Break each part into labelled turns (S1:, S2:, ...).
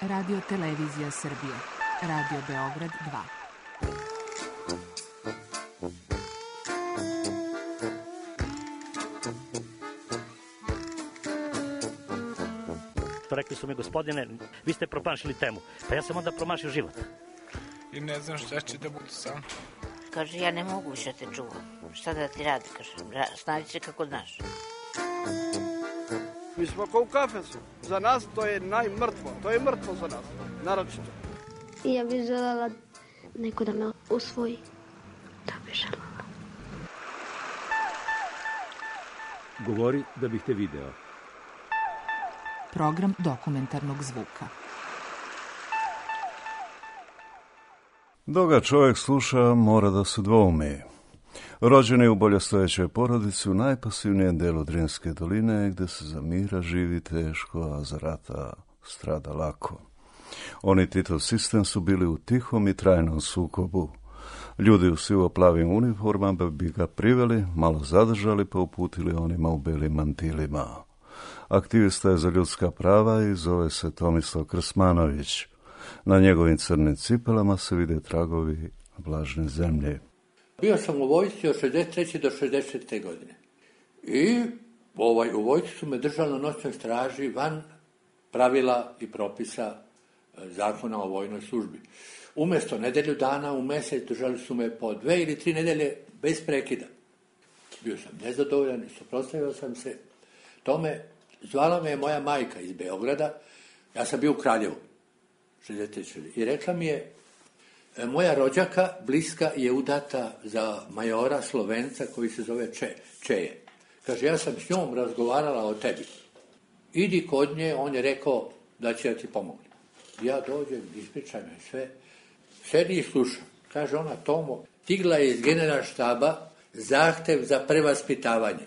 S1: Radio Televizija Srbije. Radio Beograd
S2: 2. Rekli su mi, gospodine, vi ste promašili temu. Pa ja sam onda promašio život.
S3: I ne znam šta će da bude sam.
S4: Kaže, ja ne mogu više te čuvam. Šta da ti radi, kaže, snađi se kako znaš.
S5: Mi smo kao u kafesu. Za nas to je najmrtvo. To je mrtvo za nas, naročito.
S6: I ja bih želela neko da me usvoji. Da bih želela.
S7: Govori da bih te video.
S1: Program dokumentarnog zvuka.
S8: Dok ga čovjek sluša, mora da se dvoumi. Rođen je u boljostojećoj porodici u najpasivnijem delu Drinske doline, gde se za mira živi teško, a za rata strada lako. Oni Titov sistem su bili u tihom i trajnom sukobu. Ljudi u sivo-plavim uniformama bi ga priveli, malo zadržali pa uputili onima u belim mantilima. Aktivista je za ljudska prava i zove se Tomislav Krsmanović. Na njegovim crnim cipelama se vide tragovi vlažne zemlje.
S9: Bio sam u vojsci od 63. do 64. godine. I u vojsci su me držali na noćnoj straži van pravila i propisa zakona o vojnoj službi. Umjesto nedelju dana u mjesec držali su me po 2 ili 3 nedelje bez prekida. Bio sam nezadovoljan i suprotstavio sam se tome. Zvala me je moja majka iz Beograda. Ja sam bio u Kraljevu. 63. I rekla mi je, moja rođaka bliska je udata za majora Slovenca koji se zove Čeje. Kaže, ja sam s njom razgovarala o tebi. Idi kod nje, on je rekao da će ja ti pomoći. Ja dođem, ispričam joj sve, sedi i slušam. Kaže ona, Tomo, stigla je iz generalštaba zahtev za prevaspitavanje.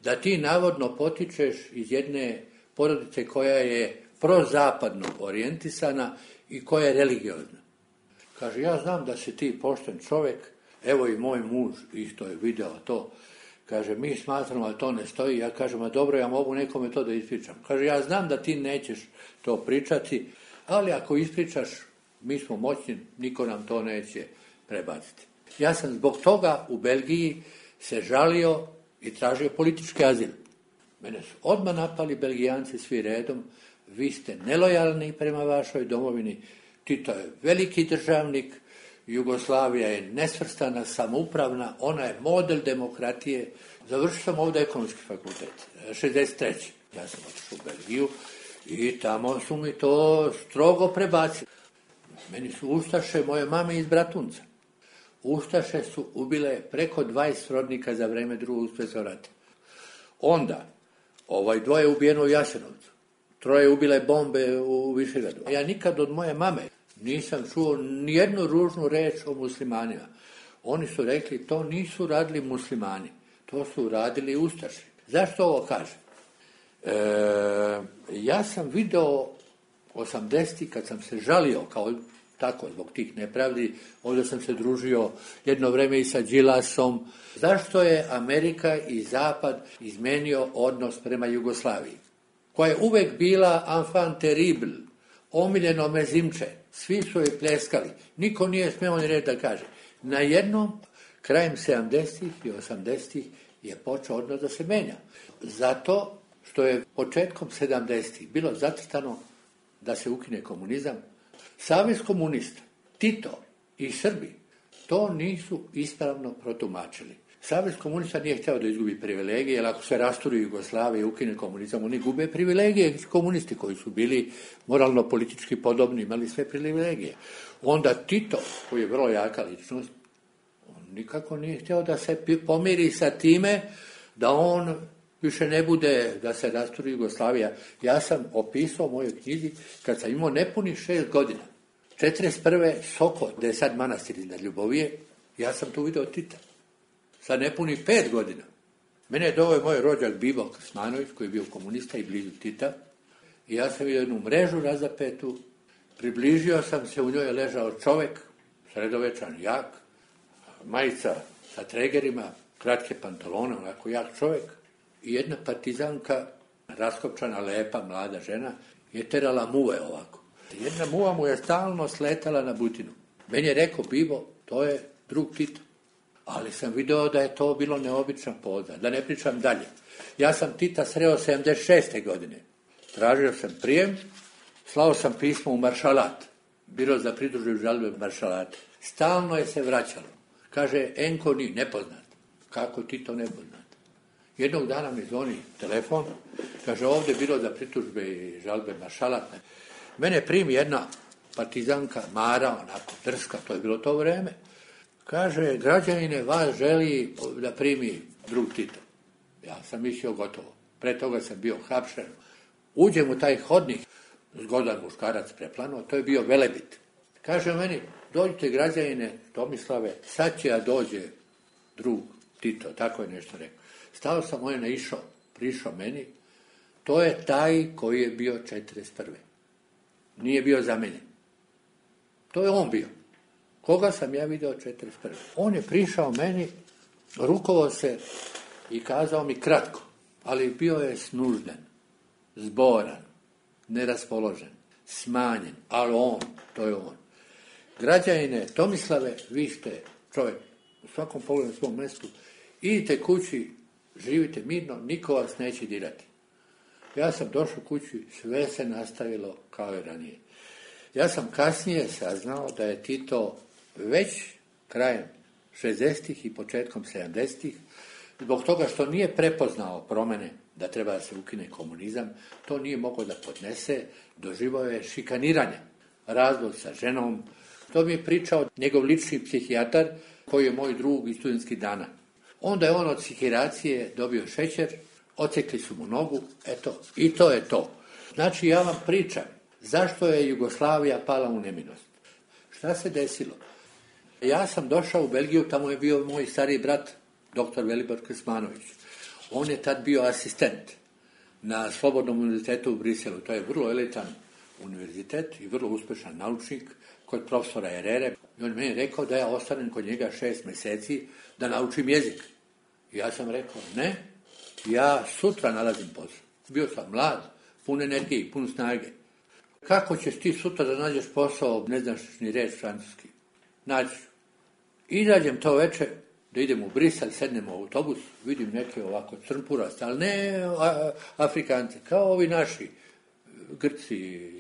S9: Da ti navodno potičeš iz jedne porodice koja je prozapadno orijentisana i koja je religiozna. Kaže, ja znam da si ti pošten čovjek, evo i moj muž isto je video to. Kaže, mi smatramo da to ne stoji. Ja kažem, a dobro, ja mogu nekome to da ispričam. Kaže, ja znam da ti nećeš to pričati, ali ako ispričaš, mi smo moćni, niko nam to neće prebaciti. Ja sam zbog toga u Belgiji se žalio i tražio politički azil. Mene su odmah napali Belgijanci svi redom, vi ste nelojalni prema vašoj domovini, Tito je veliki državnik, Jugoslavija je nesvrstana, samoupravna, ona je model demokratije. Završio sam ovdje ekonomski fakultet, 63. Ja sam otišao u Belgiju i tamo su mi to strogo prebacili. Meni su ustaše moje mame iz Bratunca. Ustaše su ubile preko 20 srodnika za vreme Drugog svjetskog rata. Onda, 2 je ubijeno u Jasenovcu, 3 ubile bombe u Višegradu. Ja nikad od moje mame nisam čuo nijednu ružnu reč o muslimanima. Oni su rekli, to nisu radili muslimani, to su radili ustaši. Zašto ovo kažem? Ja sam video 80. kad sam se žalio kao tako, zbog tih nepravdi, ovdje sam se družio jedno vreme i sa Đilasom. Zašto je Amerika i Zapad izmenio odnos prema Jugoslaviji, koja je uvek bila enfant terrible, omiljeno mezimče, svi su joj pljeskali, niko nije smeo ni reći da kaže. Na jednom, krajem 70. i 80. je počeo odnos da se menja. Zato što je početkom 70. bilo zacrtano da se ukine komunizam. Savez komunista, Tito i Srbi to nisu ispravno protumačili. Savez komunista nije htio da izgubi privilegije, jer ako se rasturi Jugoslavija i ukine komunizam, oni gube privilegije. Komunisti koji su bili moralno-politički podobni, imali sve privilegije. Onda Tito, koji je vrlo jaka ličnost, on nikako nije htio da se pomiri sa time da on više ne bude, da se rasturi Jugoslavija. Ja sam opisao u mojoj knjizi kad sam imao nepunih 6 godina. 41. Sokol, gde je sad manastir iznad Ljubovije, ja sam tu video Tita. Sad nepunih 5 godina. Mene je doveo moj rođak Bibo Krsmanović, koji je bio komunista i blizu Tita. I ja sam vidio jednu mrežu razapetu, približio sam se, u njoj je ležao čovjek, sredovečan, jak, majica sa tregerima, kratke pantalone, onako jak čovjek. I jedna partizanka, raskopčana, lepa, mlada žena, je terala muve ovako. Jedna muva mu je stalno sletala na butinu. Meni je rekao, Bibo, to je drug Tito. Ali sam video da je to bilo neobična poza. Da ne pričam dalje. Ja sam Tita sreo 76. godine. Tražio sam prijem, slao sam pismo u maršalat. Biro za pridružbe žalbe maršalate. Stalno je se vraćalo. Kaže, Enko ni, nepoznat. Kako ti to nepoznat? Jednog dana mi zvoni telefon, kaže, ovdje biro za pritužbe i žalbe maršalat. Mene primi jedna partizanka, Mara, onako drska, to je bilo to vreme. Kaže, građanine, vas želi da primi drug Tito. Ja sam mislio gotovo. Pre toga sam bio hapšen. Uđem u taj hodnik, zgodan muškarac preplano, to je bio Velebit. Kaže meni, dođite građanine Tomislave, sad će ja dođe drug Tito, tako je nešto rekao. Stao sam, on je naišao, prišao meni, to je taj koji je bio 41. Nije bio zamenjen. To je on bio. Koga sam ja video 41. On je prišao meni, rukovao se i kazao mi kratko, ali bio je snužden, zboran, neraspoložen, smanjen, ali on, to je on. Građanine Tomislave, vi ste čovjek u svakom pogledu na svom mjestu, idite kući, živite mirno, niko vas neće dirati. Ja sam došao kući, sve se nastavilo kao i ranije. Ja sam kasnije saznao da je Tito već krajem 60-ih i početkom 70-ih, zbog toga što nije prepoznao promjene da treba da se ukine komunizam, to nije mogao da podnese, doživao je šikaniranje, razvod sa ženom. To mi je pričao njegov lični psihijatar, koji je moj drug iz studentskih dana. Onda je on od psihiracije dobio šećer, ocekli su mu nogu, eto, i to je to. Znači, ja vam pričam, zašto je Jugoslavija pala u nemilost? Šta se desilo? Ja sam došao u Belgiju, tamo je bio moj stariji brat, dr. Velibor Krsmanović. On je tad bio asistent na Slobodnom univerzitetu u Briselu. To je vrlo elitan univerzitet i vrlo uspešan naučnik kod profesora Herrere. I on je meni rekao da ja ostanem kod njega 6 mjeseci da naučim jezik. I ja sam rekao, ne, ja sutra nalazim posao. Bio sam mlad, pun energije, pun snage. Kako ćeš ti sutra da nađeš posao, ne znaš ni reč francuski? Naći. Izađem to večer, da idem u Brisel, sednem u autobus, vidim neke ovako crnpuraste, ali ne Afrikanci, kao ovi naši, Grci,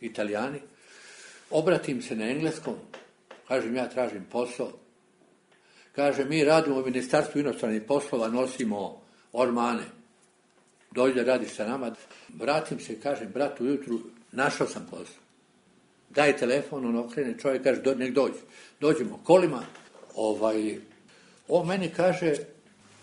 S9: Italijani. Obratim se na engleskom, kažem ja tražim posao. Kaže, mi radimo u Ministarstvu inostranih poslova, nosimo ormane. Dođi da radiš sa nama. Vratim se, kažem, bratu, ujutru našao sam posao. Daj telefon, on okrene, čovjek kaže, nek dođe. Dođemo kolima, on meni kaže,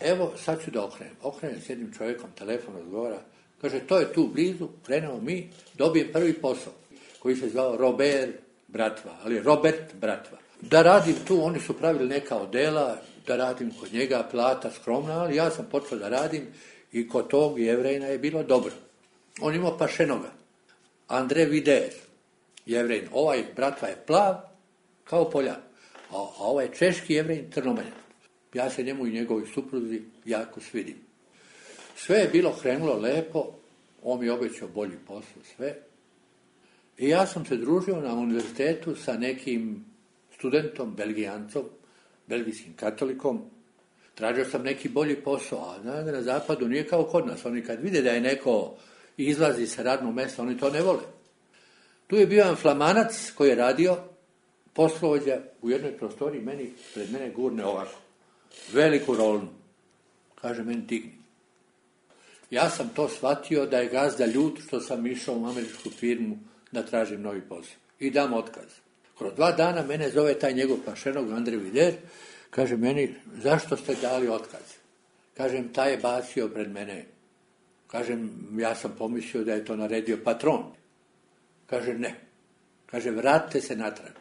S9: evo, sad ću da okrenem. Okrenem s jednim čovjekom, telefon odgovara, kaže, to je tu blizu, krenemo mi, dobijem prvi posao, koji se zvao Robert Bratva. Da radim tu, oni su pravili neka odela, da radim kod njega, plata skromna, ali ja sam počeo da radim i kod tog Jevrejna je bilo dobro. On imao pašenoga. André Vider, Jevrejn. Ovaj Bratva je plav, kao Poljan. A ovaj češki Jevrejn, crnomeljan. Ja se njemu i njegovoj supruzi jako svidim. Sve je bilo krenulo lepo, on mi je obećao bolji posao, sve. I ja sam se družio na univerzitetu sa nekim studentom, Belgijancom, belgijskim katolikom. Tražio sam neki bolji posao, a na zapadu nije kao kod nas. Oni kad vide da je neko izlazi sa radnog mjesta, oni to ne vole. Tu je bio jedan Flamanac koji je radio, poslovođa u jednoj prostoriji, pred mene gurne ovako. Veliku rolnu. Kaže meni, digni. Ja sam to shvatio da je gazda ljut što sam išao u američku firmu da tražim novi posao. I dam otkaz. Kroz 2 dana mene zove taj njegov pašenog, André Vider, kaže meni, zašto ste dali otkaz? Kažem, taj je bacio pred mene. Kažem, ja sam pomislio da je to naredio patron. Kaže, ne. Kaže, vratite se natrag.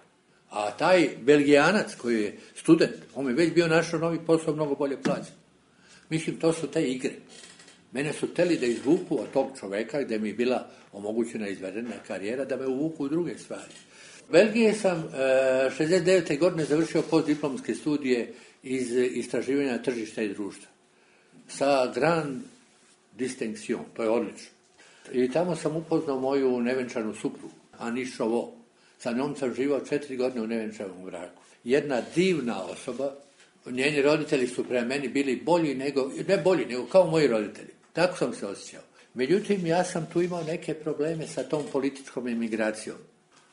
S9: A taj Belgijanac koji je student, on je već bio našao novi posao, mnogo bolje plaćen. Mislim, to su te igre. Mene su teli da izvuku od tog čoveka gdje mi je bila omogućena izvedena karijera, da me uvuku u druge stvari. U Belgiji sam 69. godine završio postdiplomske studije iz istraživanja tržišta i društva. Sa grand distinction, to je odlično. I tamo sam upoznao moju nevenčanu suprugu. Anišovo. Sa njom sam živao 4 godine u nevenčavom braku. Jedna divna osoba, njeni roditelji su prema meni bili bolji nego kao moji roditelji. Tako sam se osjećao. Međutim, ja sam tu imao neke probleme sa tom političkom emigracijom.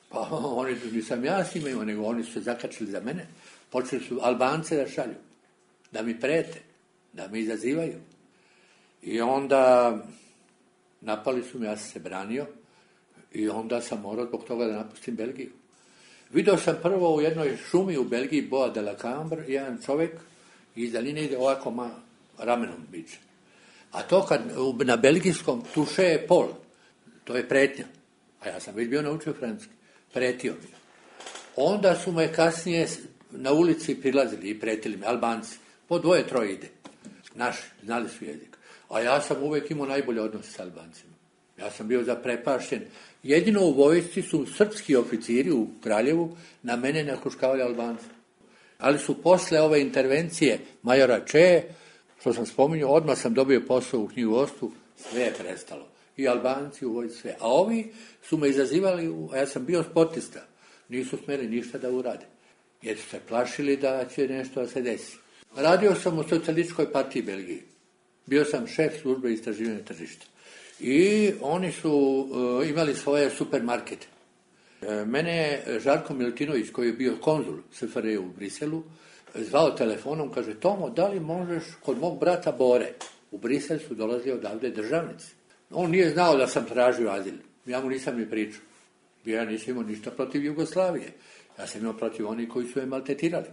S9: Pa oni, nisam ja s njima imao, nego oni su se zakačili za mene. Počeli su Albance da šalju, da mi prete, da mi izazivaju. I onda napali su me, ja sam se branio i onda sam morao zbog toga da napustim Belgiju. Vidio sam prvo u jednoj šumi u Belgiji, Bois de la Cambre, jedan čovjek iz daljine ide ovako ramenom biće. A to kad na belgijskom tuše je pol, to je pretnja. A ja sam već bio naučio francuski, pretio mi. Onda su me kasnije na ulici prilazili i pretili me, Albanci. Po 2-3 ide. Naši, znali su jezik. A ja sam uvijek imao najbolje odnose s Albancima. Ja sam bio zaprepašten. Jedino u vojsci su srpski oficiri u Kraljevu na mene nakuškavali Albanci. Ali su posle ove intervencije majora Če, što sam spominjao, odmah sam dobio posao u knjigovodstvu, sve je prestalo. I Albanci u vojsci sve. A ovi su me izazivali, a ja sam bio sportista. Nisu smjeli ništa da urade. Jer su se plašili da će nešto da se desi. Radio sam u Socijalističkoj partiji Belgije. Bio sam šef službe istraživanja tržišta. I oni su imali svoje supermarkete. Mene je Žarko Milutinović, koji je bio konzul SFRJ u Briselu, zvao telefonom, kaže, Tomo, da li možeš kod mog brata Bore? U Brisel su dolazili odavde državnici. On nije znao da sam tražio azil. Ja mu nisam ni pričao. Ja nisam imao ništa protiv Jugoslavije. Ja sam imao protiv onih koji su je maltetirali.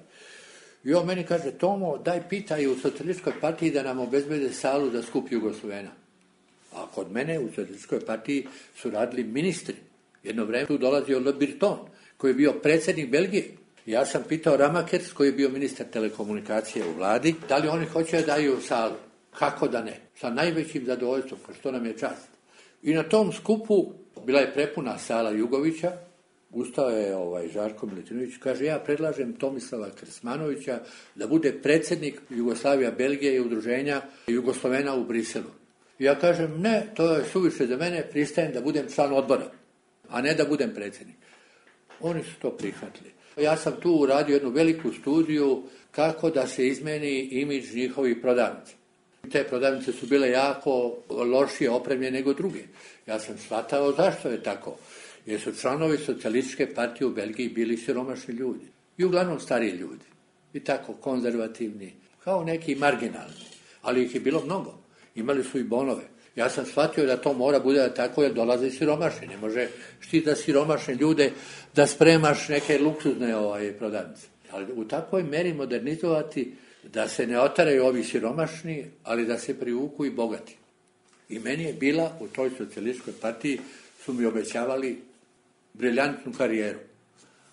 S9: I on meni kaže, Tomo, daj pitaj u Socijalističkoj partiji da nam obezbede salu za skup Jugoslovena. A kod mene u Socijalističkoj partiji su radili ministri. Jedno vreme tu dolazio Le Breton, koji je bio predsjednik Belgije. Ja sam pitao Ramakers, koji je bio ministar telekomunikacije u vladi, da li oni hoće da daju salu. Kako da ne? Sa najvećim zadovoljstvom, kao što nam je čast. I na tom skupu bila je prepuna sala Jugovića. Ustao je Žarko Milutinović, kaže, ja predlažem Tomislava Krsmanovića da bude predsjednik Jugoslavija Belgije i udruženja Jugoslovena u Briselu. Ja kažem, ne, to je suviše za mene, pristajem da budem član odbora, a ne da budem predsjednik. Oni su to prihvatili. Ja sam tu uradio jednu veliku studiju kako da se izmeni imidž njihovih prodavnica. Te prodavnice su bile jako lošije opremljene nego druge. Ja sam shvatao zašto je tako. Jer su članovi Socijalističke partije u Belgiji bili siromašni ljudi. I uglavnom stariji ljudi. I tako konzervativni, kao neki marginalni. Ali ih je bilo mnogo. Imali su i bonove. Ja sam shvatio da to mora bude tako jer dolaze siromašni. Ne može štita siromašne ljude da spremaš neke luksuzne prodavnice. Ali u takvoj meri modernizovati da se ne otaraju ovi siromašni, ali da se privuku i bogati. I meni je bila u toj Socijalističkoj partiji su mi obećavali briljantnu karijeru.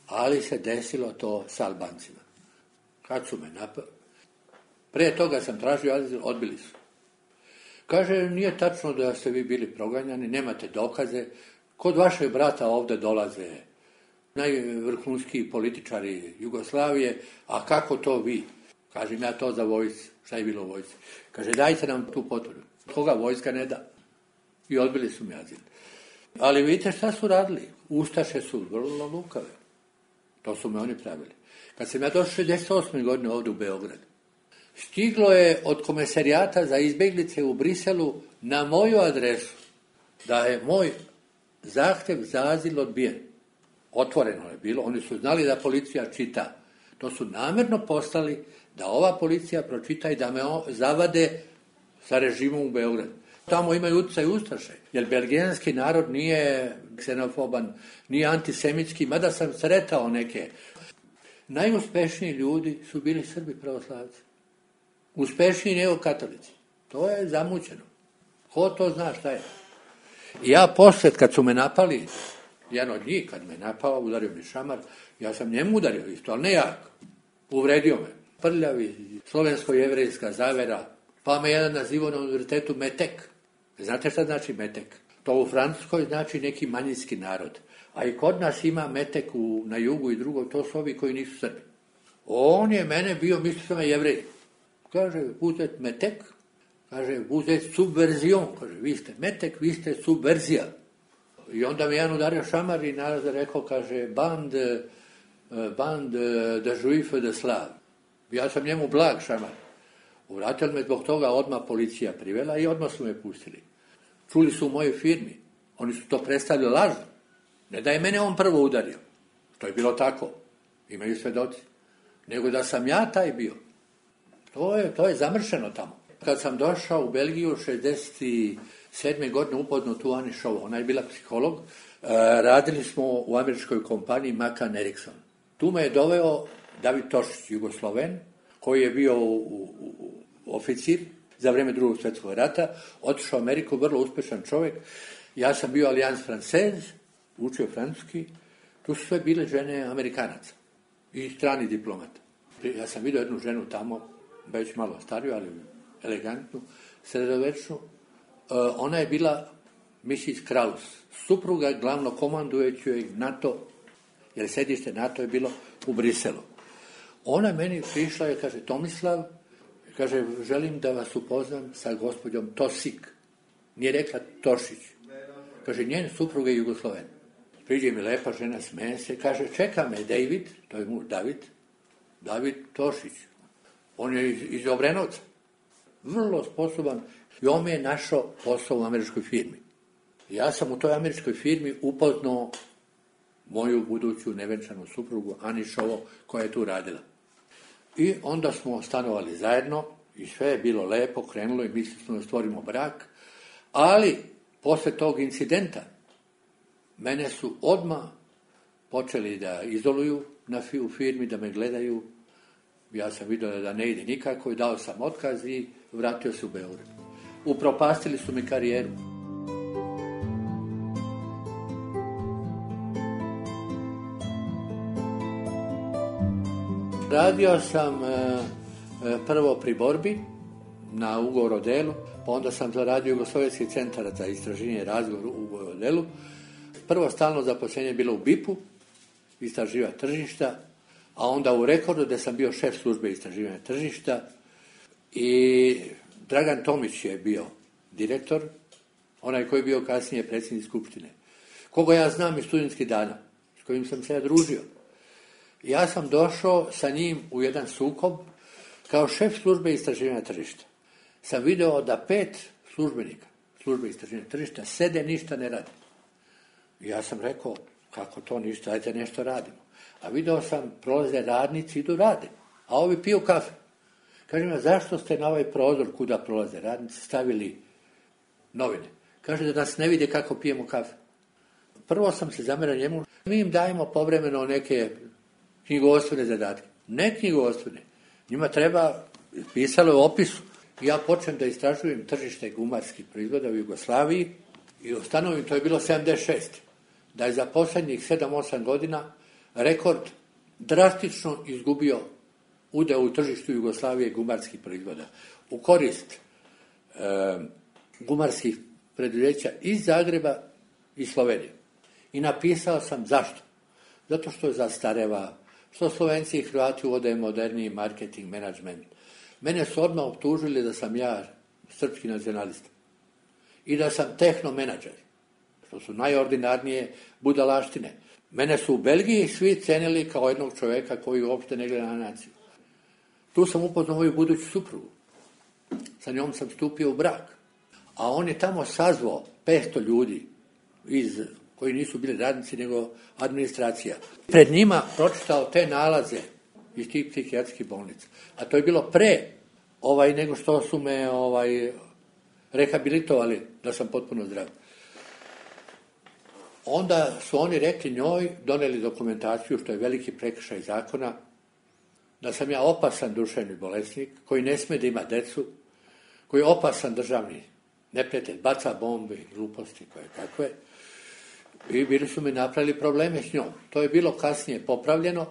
S9: Ali se desilo to s Albancima. Kad su me napali? Prije toga sam tražio azil, odbili su. Kaže, nije tačno da ste vi bili proganjani, nemate dokaze. Kod vašeg brata ovdje dolaze najvrhunskiji političari Jugoslavije, a kako to vi? Kažem ja to za vojsci. Šta je bilo u vojsci? Kaže, dajte nam tu potvrdu. Koga vojska ne da? I odbili su mi azil. Ali vidite šta su radili? Ustaše su vrlo lukave. To su me oni pravili. Kad sam ja došao 68. godine ovdje u Beograd, stiglo je od komesarijata za izbjeglice u Briselu na moju adresu da je moj zahtjev za azil odbijen. Otvoreno je bilo. Oni su znali da policija čita. To su namjerno poslali da ova policija pročita i da me zavade sa režimom u Beogradu. Tamo imaju utjecaj ustaše, jer belgijanski narod nije ksenofoban, nije antisemitski, mada sam sretao neke. Najuspešniji ljudi su bili Srbi pravoslavci. Uspešniji nego katolici. To je zamućeno. Ko to zna šta je? I ja poslije, kad su me napali, jedan od njih, kad me napao, udario mi šamar, ja sam njemu udario isto, ali ne jak. Uvredio me. Prljavi, slovensko-jevrejska zavera, pa me jedan nazivao na univerzitetu Metek. Znate šta znači Metek? To u Francuskoj znači neki manjinski narod. A i kod nas ima Metek na jugu i drugo, to su ovi koji nisu Srbi. On je mene bio, mislio sam je Jevrej. Kaže, uzet Metek, kaže, uzet subverzion. Kaže, vi ste Metek, vi ste subverzija. I onda mi jedan udario šamar i narod rekao, kaže, band de juif de slav. Ja sam njemu blag šamar. Uvratili me zbog toga, odmah policija privela i odmah su me pustili. Čuli su u mojoj firmi. Oni su to predstavili lažno. Ne da je mene on prvo udario. To je bilo tako. Imaju svedoci. Nego da sam ja taj bio. To je zamršeno tamo. Kad sam došao u Belgiju 67. godine upoznao tu Ani Šovo. Ona je bila psiholog. Radili smo u američkoj kompaniji Macan Erickson. Tu me je doveo David Tošić, Jugosloven, koji je bio oficir za vrijeme Drugog svjetskog rata, otišao u Ameriku, vrlo uspješan čovjek. Ja sam bio Alliance Française, učio francuski. Tu su sve bile žene Amerikanaca i strani diplomata. Ja sam vidio jednu ženu tamo, već malo stariju, ali elegantnu, sredovečnu. Ona je bila Mrs. Kraus, supruga glavno komandujućeg NATO, jer sedište NATO je bilo u Briselu. Ona meni prišla i kaže, Tomislav, kaže, želim da vas upoznam sa gospođom Tosik. Nije rekla Tošić. Kaže, njen supruga je Jugosloven. Priđe mi lepa žena, smeje se, kaže, čeka me David, to je muž David Tošić. On je iz Obrenovca. Vrlo sposoban. I on me je našao posao u američkoj firmi. Ja sam u toj američkoj firmi upoznao moju buduću nevenčanu suprugu Ani Šovo, koja je tu radila. I onda smo stanovali zajedno i sve je bilo lepo, krenulo i mislili smo da stvorimo brak, ali posle tog incidenta mene su odmah počeli da izoluju u firmi, da me gledaju. Ja sam vidio da ne ide nikako i dao sam otkaz i vratio se u Beograd. Upropastili su mi karijeru. Radio sam prvo pri borbi na ugovor o delu, pa onda sam zaradio Jugoslovenski centar za istraživanje i razgovor u ugovor o delu. Prvo stalno zaposlenje je bilo u BIP-u, istraživanja tržišta, a onda u Rekordu gdje sam bio šef službe istraživanja tržišta i Dragan Tomić je bio direktor, onaj koji je bio kasnije predsjednik skupštine, koga ja znam iz studentskih dana, s kojim sam se ja družio. Ja sam došao sa njim u jedan sukob kao šef službe istraživanja tržišta. Sam video da 5 službenika službe istraživanja tržišta sede, ništa ne radi. Ja sam rekao, kako to ništa, ajde nešto radimo. A video sam, prolaze radnici, idu rade, a ovi piju kafe. Kažem, zašto ste na ovaj prozor kuda prolaze radnici stavili novine? Kaže da nas ne vide kako pijemo kafe. Prvo sam se zamerao njemu, mi im dajemo povremeno neke knjigovodstvene zadatke. Ne knjigovodstvene. Njima treba, pisalo je u opisu. Ja počnem da istražujem tržište gumarskih proizvoda u Jugoslaviji i ustanovim, to je bilo 76. Da je za posljednjih 7-8 godina Rekord drastično izgubio udeo u tržištu Jugoslavije gumarskih proizvoda. U korist gumarskih preduzeća iz Zagreba i Slovenije. I napisao sam zašto. Zato što zastareva, što Slovenci i Hrvati uvode moderniji marketing, menadžment. Mene su odmah optužili da sam ja srpski nacionalista. I da sam tehnomenadžer. Što su najordinarnije budalaštine. Mene su u Belgiji svi cenili kao jednog čovjeka koji uopšte ne gleda na naciju. Tu sam upoznao moju buduću suprugu. Sa njom sam stupio u brak. A on je tamo sazvao 500 ljudi koji nisu bili radnici, nego administracija. Pred njima pročitao te nalaze iz tih psihijatrijskih bolnica. A to je bilo pre nego što su me rehabilitovali da sam potpuno zdrav. Onda su oni rekli njoj, doneli dokumentaciju, što je veliki prekršaj zakona, da sam ja opasan duševni bolesnik, koji ne sme da ima decu, koji je opasan državni neprijatelj, baca bombe i gluposti koje kakve. I bili su mi napravili probleme s njom. To je bilo kasnije popravljeno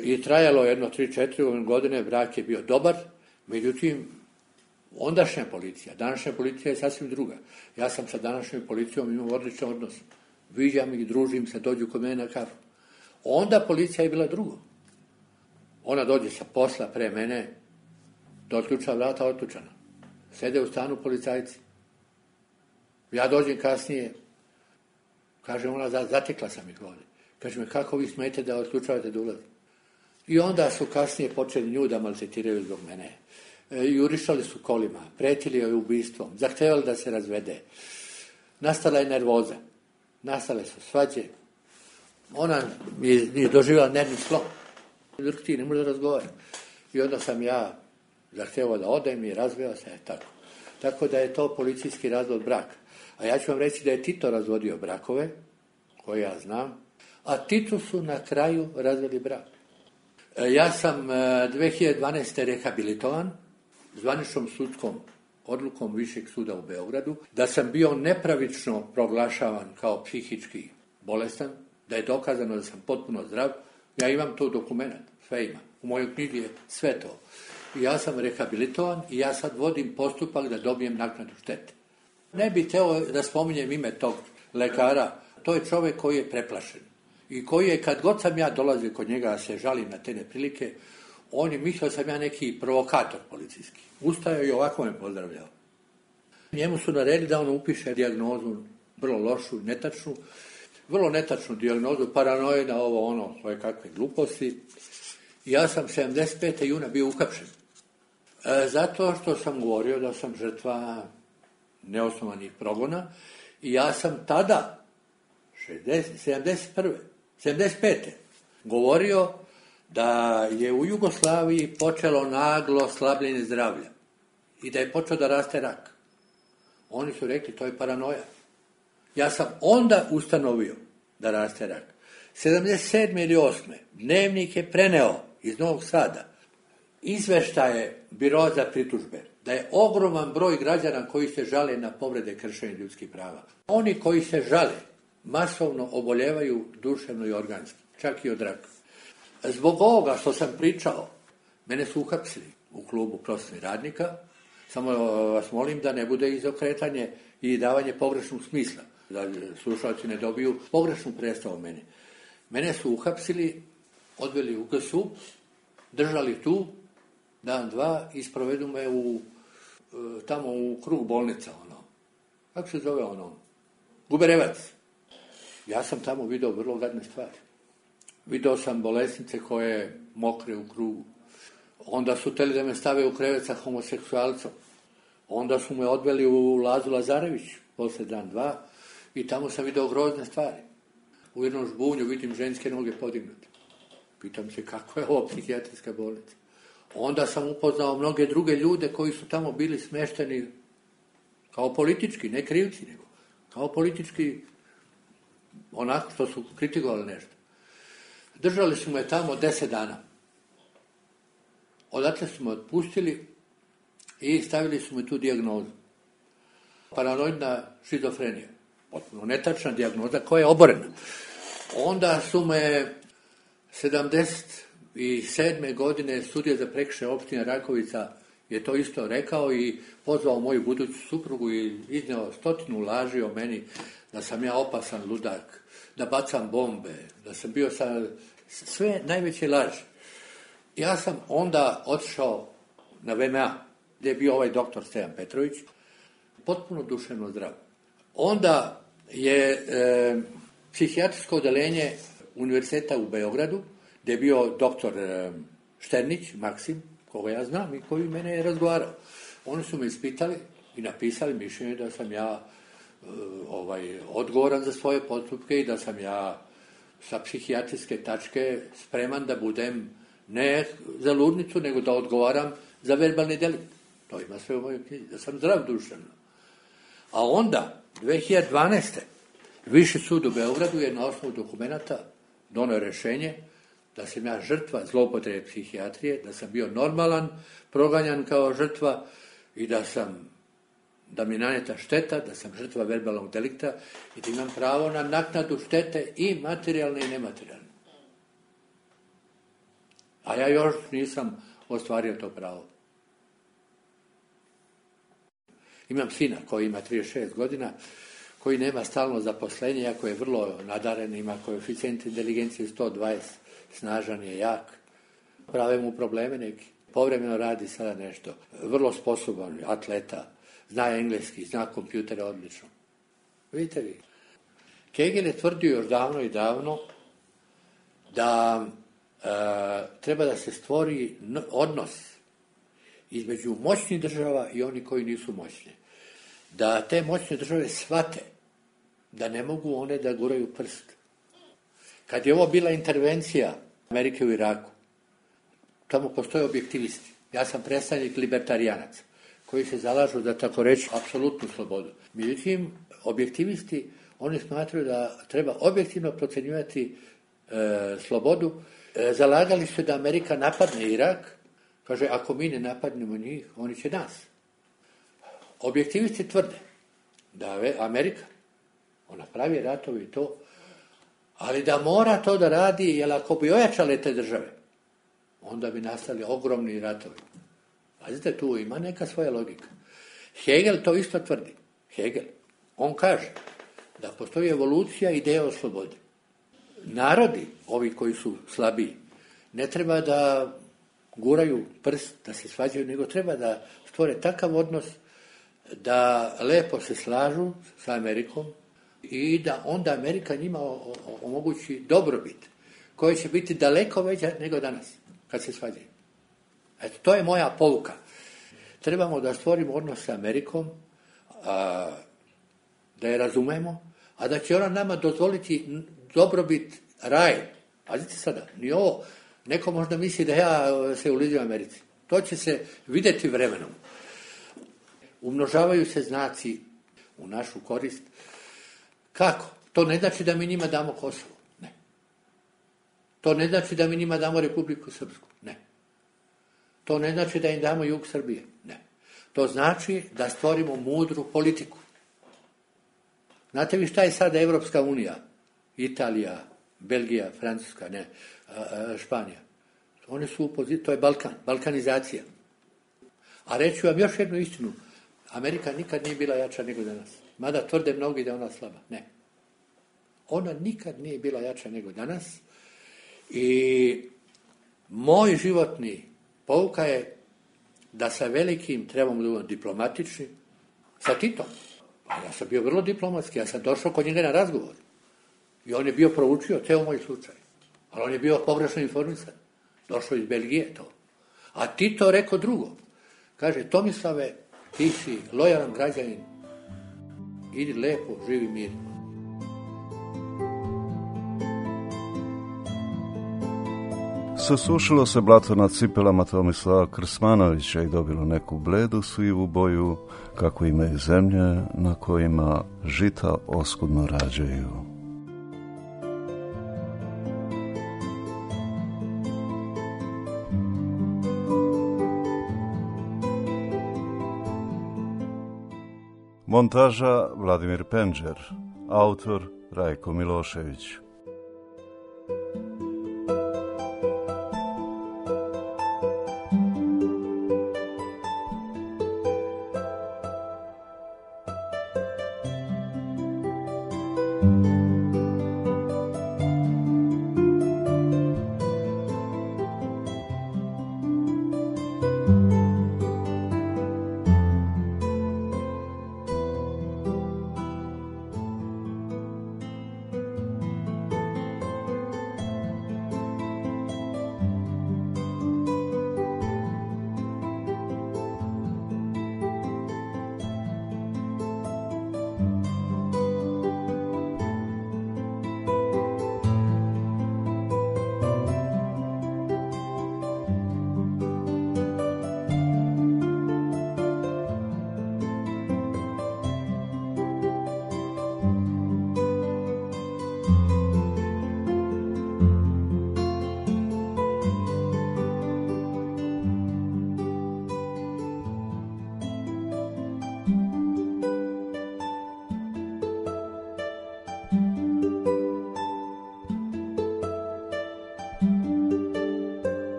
S9: i trajalo jedno 3-4 godine, brak je bio dobar, međutim, ondašnja policija, današnja policija je sasvim druga. Ja sam sa današnjom policijom imao odličan odnos. Viđam ih, družim se, dođu kod mene na kafu. Onda policija je bila drugo. Ona dođe sa posla pre mene, do otključa vrata otključana. Sede u stanu policajci. Ja dođem kasnije, Kaže ona, zatekla sam ih ovdje. Kaže me, kako vi smijete da odlučavate da ulazi? I onda su kasnije počeli nju da maltretiraju zbog mene. Jurišali su kolima, pretili joj ubistvom, zahtevali da se razvede. Nastala je nervoza, nastale su svađe. Ona nije doživjela nervni slom. Ti ne može da razgovara. I onda sam ja zahtevao da odem i razveo se tako. Tako da je to policijski razvod braka. A ja ću vam reći da je Tito razvodio brakove, koje ja znam, a Titu su na kraju razveli brak. Ja sam 2012. rehabilitovan zvaničnom sudskom odlukom Višeg suda u Beogradu, da sam bio nepravično proglašavan kao psihički bolestan, da je dokazano da sam potpuno zdrav. Ja imam to dokument, sve ima. U mojoj knjizi je sve to. I ja sam rehabilitovan i ja sad vodim postupak da dobijem naknadu štete. Ne bih teo da spominjem ime tog lekara. To je čovjek koji je preplašen. I koji je, kad god sam ja dolazio kod njega, se žalim na te neprilike, on je mislio da sam ja neki provokator policijski. Ustajao i ovako me pozdravljao. Njemu su naredili da on upiše dijagnozu vrlo lošu, netačnu, vrlo netačnu dijagnozu, paranoida, ovo, ono, svoje kakve gluposti. I ja sam 75. juna bio uhapšen. Zato što sam govorio da sam žrtva neosnovanih progona i ja sam tada, 75. govorio da je u Jugoslaviji počelo naglo slabljenje zdravlja i da je počeo da raste rak. Oni su rekli, to je paranoja. Ja sam onda ustanovio da raste rak. 77. ili 8. Dnevnik je preneo iz Novog Sada izveštaje Biro za pritužbe, da je ogroman broj građana koji se žale na povrede kršenja ljudskih prava. Oni koji se žale masovno oboljevaju duševno i organski, čak i od raka. Zbog ovoga što sam pričao, mene su uhapsili u klubu prosvetnih radnika, samo vas molim da ne bude izokretanje i davanje pogrešnog smisla, da slušalci ne dobiju pogrešnu predstavu mene. Mene su uhapsili, odveli u GSU, držali tu, dan, dva, i sprovedu me tamo u krug bolnica, ono. Kako se zove ono? Guberevac. Ja sam tamo vidio vrlo gadne stvari. Vidio sam bolesnice koje mokre u krugu. Onda su htjeli da me stave u krevet sa homoseksualcom. Onda su me odveli u Lazu Lazarević, poslije dan, dva, i tamo sam vidio grozne stvari. U jednom žbunju vidim ženske noge podignute. Pitam se kako je ovo psihijatrijska bolnica. Onda sam upoznao mnoge druge ljude koji su tamo bili smešteni kao politički, ne krivci, nego kao politički, onako što su kritikovali nešto. Držali su me tamo 10 dana. Odatle su me otpustili i stavili su me tu dijagnozu. Paranoidna šizofrenija. Potpuno netačna dijagnoza koja je oborena. Onda su me 77. godine sudija za prekršaje opštine Rakovica je to isto rekao i pozvao moju buduću suprugu i izneo 100 laži o meni, da sam ja opasan ludak, da bacam bombe, da sam bio sve najveće laži. Ja sam onda otišao na VMA, gdje je bio ovaj doktor Stevan Petrović, potpuno duševno zdrav. Onda je psihijatrijsko odeljenje univerziteta u Beogradu, gdje je bio doktor Šternić, Maksim, koga ja znam i koji mene je razgovarao. Oni su me ispitali i napisali mišljenje da sam ja odgovoran za svoje postupke i da sam ja sa psihijatrijske tačke spreman da budem ne za ludnicu, nego da odgovaram za verbalni delikt. To ima sve u mojoj knjizi, da sam zdrav duševno. A onda, 2012. Viši sud u Beogradu je na osnovu dokumenata donio rješenje da sam ja žrtva zloupotrebe psihijatrije, da sam bio normalan, proganjan kao žrtva i da mi naneta šteta, da sam žrtva verbalnog delikta i da imam pravo na naknadu štete i materijalne i nematerijalne. A ja još nisam ostvario to pravo. Imam sina koji ima 36 godina, koji nema stalno zaposlenje, iako je vrlo nadaren, ima koeficijent inteligencije 120, snažan je, jak. Prave mu probleme neki. Povremeno radi sada nešto. Vrlo sposoban, atleta, zna engleski, zna kompjutere odlično. Vidite vi. Hegel je tvrdio još davno i davno da treba da se stvori odnos između moćnih država i oni koji nisu moćni. Da te moćne države shvate da ne mogu one da guraju prst. Kad je ovo bila intervencija Amerike u Iraku, tamo postoje objektivisti. Ja sam predstavnik libertarijanaca koji se zalažu da tako reći apsolutnu slobodu. Međutim, objektivisti, oni smatraju da treba objektivno procenjivati slobodu. Zalagali su da Amerika napadne Irak. Kaže, ako mi ne napadnemo njih, oni će nas. Objektivisti tvrde da Amerika, ona pravi ratovi i to, ali da mora to da radi, jer ako bi ojačale te države, onda bi nastali ogromni ratovi. Pazite, tu ima neka svoja logika. Hegel to isto tvrdi. Hegel, on kaže da postoji evolucija ideje o slobodi. Narodi, ovi koji su slabiji, ne treba da guraju prst, da se svađaju, nego treba da stvore takav odnos da lepo se slažu sa Amerikom i da onda Amerika njima omogući dobrobit, koja će biti daleko veća nego danas, kad se svađaju. Eto, to je moja pouka. Trebamo da stvorimo odnos sa Amerikom, da je razumemo, a da će ona nama dozvoliti dobrobit, raj. Pazite sada, ni ovo, neko možda misli da ja se uliđujem Americi. To će se vidjeti vremenom. Umnožavaju se znaci u našu korist. Kako? To ne znači da mi njima damo Kosovo. Ne. To ne znači da mi njima damo Republiku Srpsku. Ne. To ne znači da im damo jug Srbije. Ne. To znači da stvorimo mudru politiku. Znate vi šta je sada Evropska unija? Italija, Belgija, Francuska, ne, Španija. One su u poziciji, to je Balkan, balkanizacija. A reću vam još jednu istinu. Amerika nikad nije bila jača nego danas. Mada tvrde mnogi da je ona slaba. Ne. Ona nikad nije bila jača nego danas. I moj životni pouka je da sa velikim trebamo da budemo diplomatični. Sa Titom. Ja sam bio vrlo diplomatski. Ja sam došao kod njega na razgovor. I on je bio proučio ceo moj slučaj. Ali on je bio pogrešno informisan. Došao iz Belgije to. A Tito rekao drugo. Kaže, Tomislave, ti si lojalan građanin. Idi lepo, živi mirno.
S8: Susušilo se blato na cipelama Tomislava Krsmanovića i dobilo neku bledu sivu boju, kako imaju zemlje na kojima žita oskudno rađaju. Montaža Vladimir Penđer, autor Rajko Milošević.